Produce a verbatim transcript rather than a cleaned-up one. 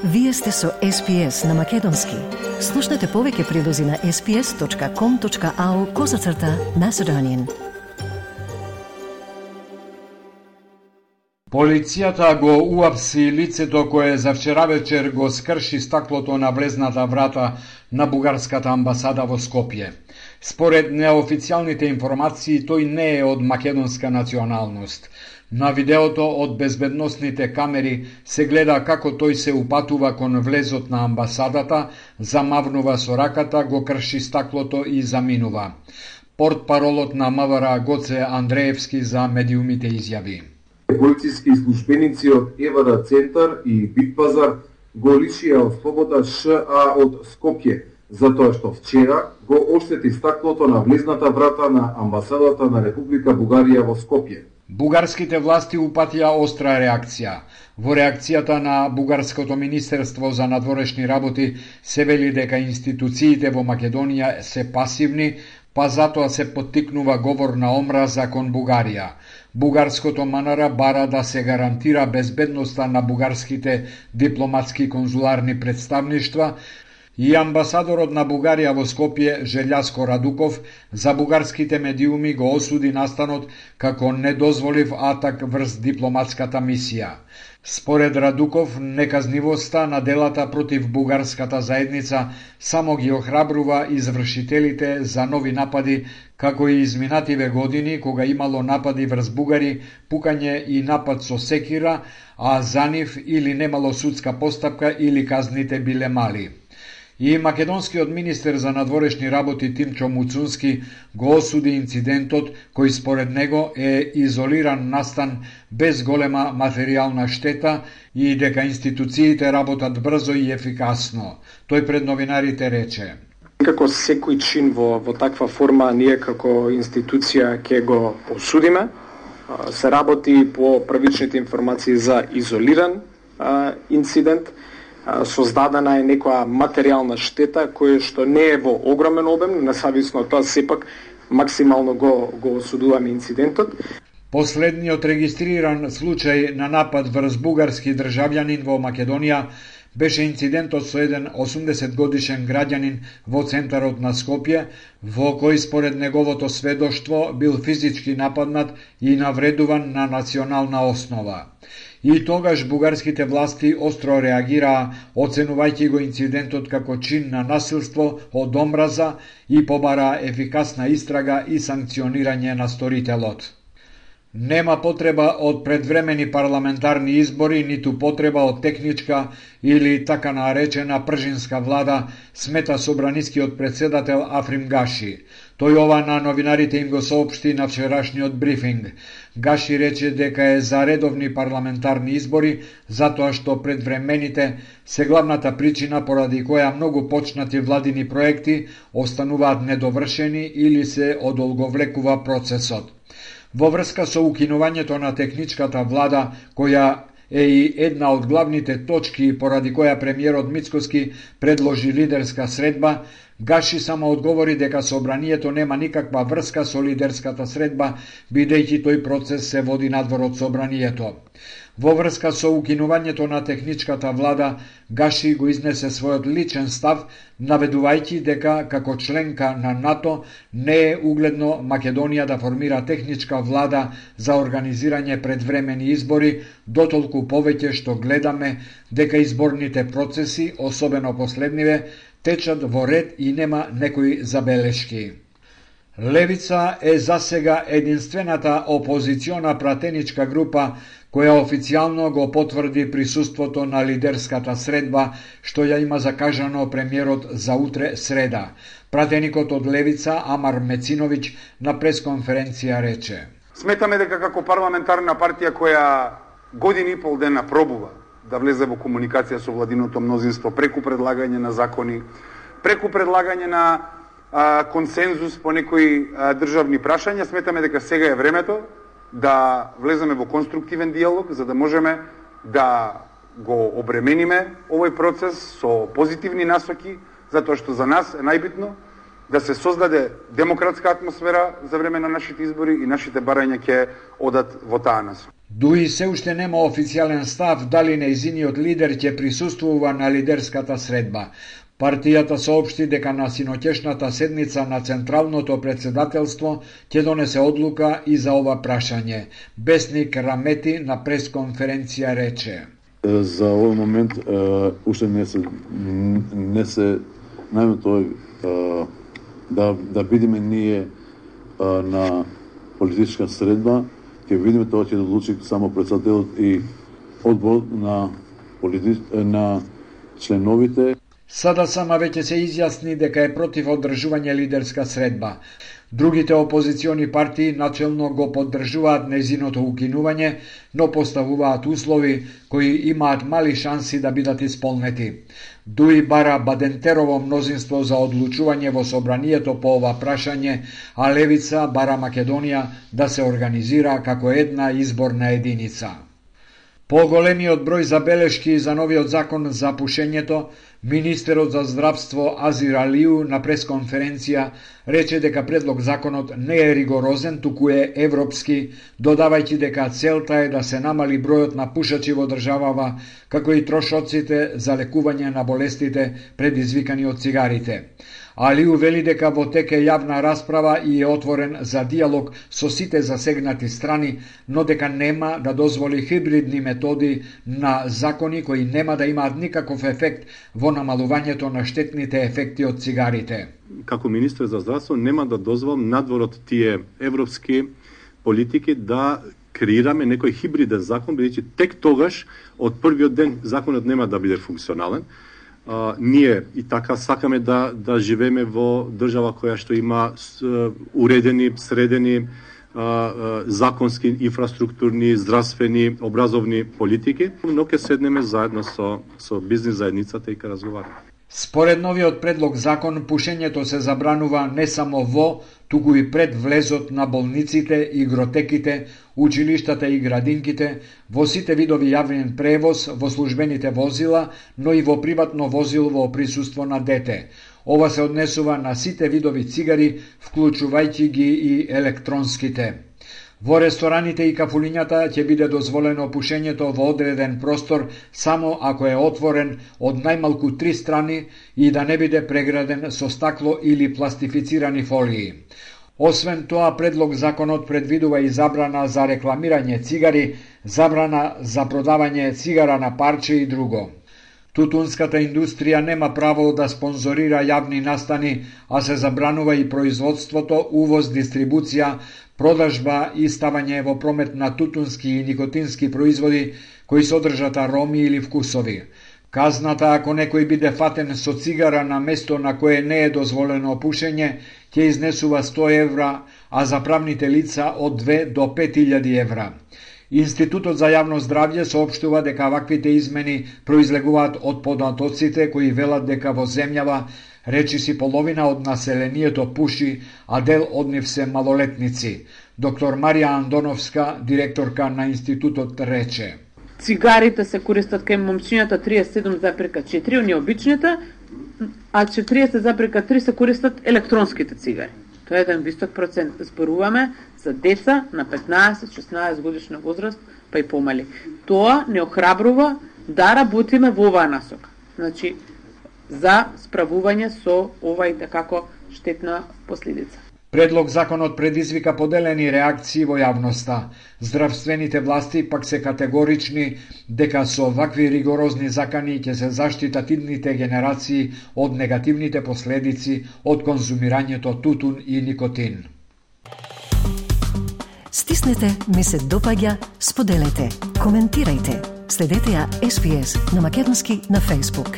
Вие сте со Ес Пи Ес на Македонски. Слушнете повеќе прилози на ес пи ес точка ком точка ау козацрта Macedonian. Полицијата го уапси лицето кое за вчера вечер го скрши стаклото на влезната врата на бугарската амбасада во Скопје. Според неофицијалните информации, тој не е од македонска националност. На видеото од безбедносните камери се гледа како тој се упатува кон влезот на амбасадата, замавнува со раката, го крши стаклото и заминува. Портпаролот на М В Р Гоце Андреевски за медиумите изјави: Полициски службеници од Е В Р Центар и Битпазар го лишија од слобода Ш А од Скопје, затоа што вчера го оштети стаклото на влезната врата на амбасадата на Република Бугарија во Скопје. Бугарските власти упатија остра реакција. Во реакцијата на Бугарското министерство за надворешни работи се вели дека институциите во Македонија се пасивни, па затоа се поттикнува говор на омраза кон Бугарија. Бугарското М Н Р бара да се гарантира безбедноста на бугарските дипломатски конзуларни представништва и амбасадорот на Бугарија во Скопје Желјаско Радуков за бугарските медиуми го осуди настанот како недозволив атак врз дипломатската мисија. Според Радуков, неказнивоста на делата против бугарската заедница само ги охрабрува извршителите за нови напади, како и изминативе години кога имало напади врз бугари, пукање и напад со секира, а за нив или немало судска постапка или казните биле мали. И македонскиот министер за надворешни работи Тимчо Муцунски го осуди инцидентот, кој според него е изолиран настан без голема материјална штета и дека институциите работат брзо и ефикасно. Тој пред новинарите рече: Како секој чин во, во таква форма, ние како институција ќе го осудиме. Се работи по првичните информации за изолиран а, инцидент. Создадена е некоја материјална штета која што не е во огромен обем, независно од тоа сепак максимално го, го осудуваме инцидентот. Последниот регистриран случај на напад врз бугарски државјанин во Македонија беше инцидентот со еден осумдесет годишен граѓанин во центарот на Скопје, во кој според неговото сведоштво бил физички нападнат и навредуван на национална основа. И тогаш бугарските власти остро реагираа, оценувајќи го инцидентот како чин на насилство од омраза и побараа ефикасна истрага и санкционирање на сторителот. Нема потреба од предвремени парламентарни избори, ниту потреба од техничка или така наречена пржинска влада, смета собранискиот председател Африм Гаши. Тој ова на новинарите им го соопшти на вчерашниот брифинг. Гаши рече дека е за редовни парламентарни избори, затоа што предвремените се главната причина поради која многу почнати владини проекти остануваат недовршени или се одолговлекува процесот. Во врска со укинувањето на техничката влада, која е и една од главните точки поради која премиерот Мицкоски предложи лидерска средба, Гаши само одговори дека собранието нема никаква врска со лидерската средба, бидејќи тој процес се води надвор од собранието. Во врска со укинувањето на техничката влада, Гаши го изнесе својот личен став, наведувајќи дека како членка на НАТО не е угледно Македонија да формира техничка влада за организирање предвремени избори, дотолку повеќе што гледаме дека изборните процеси, особено последниве, течат во ред и нема некои забелешки. Левица е засега единствената опозициона пратеничка група која официјално го потврди присуството на лидерската средба, што ја има закажано премиерот за утре среда. Пратеникот од Левица, Амар Мециновиќ, на пресконференција рече: Сметаме дека како парламентарна партија која години и пол дена пробува да влезе во комуникација со владиното мнозинство преку предлагање на закони, преку предлагање на а, консензус по некои а, државни прашања, сметаме дека сега е времето да влеземе во конструктивен диалог, за да можеме да го обремениме овој процес со позитивни насоки, затоа што за нас е најбитно да се создаде демократска атмосфера за време на нашите избори и нашите барања ќе одат во таа насока. Дуи се уште нема официјален став дали нејзиниот лидер ќе присуствува на лидерската средба. Партијата соопшти дека на синоќешната седница на Централното председателство ќе донесе одлука и за ова прашање. Бесник Рамети на пресконференција рече: За овој момент уште не се не се најмето да да бидеме ние на политичка средба, ќе видиме тоа ќе одлучи само председателот и одбор на политич... на членовите. Сада сама веќе се изјасни дека е против одржување лидерска средба. Другите опозициони партии начелно го поддржуваат нејзиното укинување, но поставуваат услови кои имаат мали шанси да бидат исполнети. Дуи бара Бадентерово мнозинство за одлучување во собранието по ова прашање, а Левица бара Македонија да се организира како една изборна единица. По големиот број забелешки за новиот закон за пушењето, министерот за здравство Азир Алиу на пресконференција рече дека предлог законот не е ригорозен, туку е европски, додавајќи дека целта е да се намали бројот на пушачи во државава, како и трошоците за лекување на болестите предизвикани од цигарите. Алиу вели дека во тек е јавна расправа и е отворен за диалог со сите засегнати страни, но дека нема да дозволи хибридни методи на закони кои нема да имаат никаков ефект во намалувањето на штетните ефекти од цигарите. Како министер за здравство нема да дозволам надвор од тие европски политики да креираме некој хибриден закон, бидејќи тек тогаш од првиот ден законот нема да биде функционален. Uh, ние и така сакаме да да живееме во држава која што има uh, уредени, средени uh, uh, законски, инфраструктурни, здравствени, образовни политики, но ќе седнеме заедно со со бизнис заедницата и ќе разговараме. Според новиот предлог закон, пушењето се забранува не само во, туку и пред влезот на болниците, игротеките, училиштата и градинките, во сите видови јавен превоз, во службените возила, но и во приватно возило во присуство на дете. Ова се однесува на сите видови цигари, вклучувајќи ги и електронските. Во рестораните и кафулињата ќе биде дозволено пушењето во одреден простор само ако е отворен од најмалку три страни и да не биде преграден со стакло или пластифицирани фолии. Освен тоа, предлог законот предвидува и забрана за рекламирање цигари, забрана за продавање цигара на парче и друго. Тутунската индустрија нема право да спонзорира јавни настани, а се забранува и производството, увоз, дистрибуција, продажба и ставање во промет на тутунски и никотински производи кои содржат ароми или вкусови. Казната ако некој биде фатен со цигара на место на кое не е дозволено пушење, ќе изнесува сто евра, а за правните лица од две до пет илјади евра. Институтот за јавно здравје соопштува дека ваквите измени произлегуваат од податоците кои велат дека во земјава речиси половина од населението пуши, а дел од нив се малолетници. Доктор Марија Андоновска, директорка на институтот, рече: Цигарите се користат кај момчињата триесет и седум запирка четири, оние обичните, а четириесет запирка три се користат електронските цигари. Тоа е еден висок процент. Зборуваме за деца на петнаесет шеснаесет годишна возраст, па и помали. Тоа не охрабрува да работиме во оваа насока. Значи, за справување со ова и такако штетна последица. Предлог законот предизвика поделени реакции во јавноста. Здравствените власти пак се категорични дека со вакви ригорозни закани ќе се заштитат идните генерации од негативните последици од конзумирањето тутун и никотин. Стиснете, ми се допаѓа, споделете, коментирајте. Следете ја Ес Би Ес на македонски на Facebook.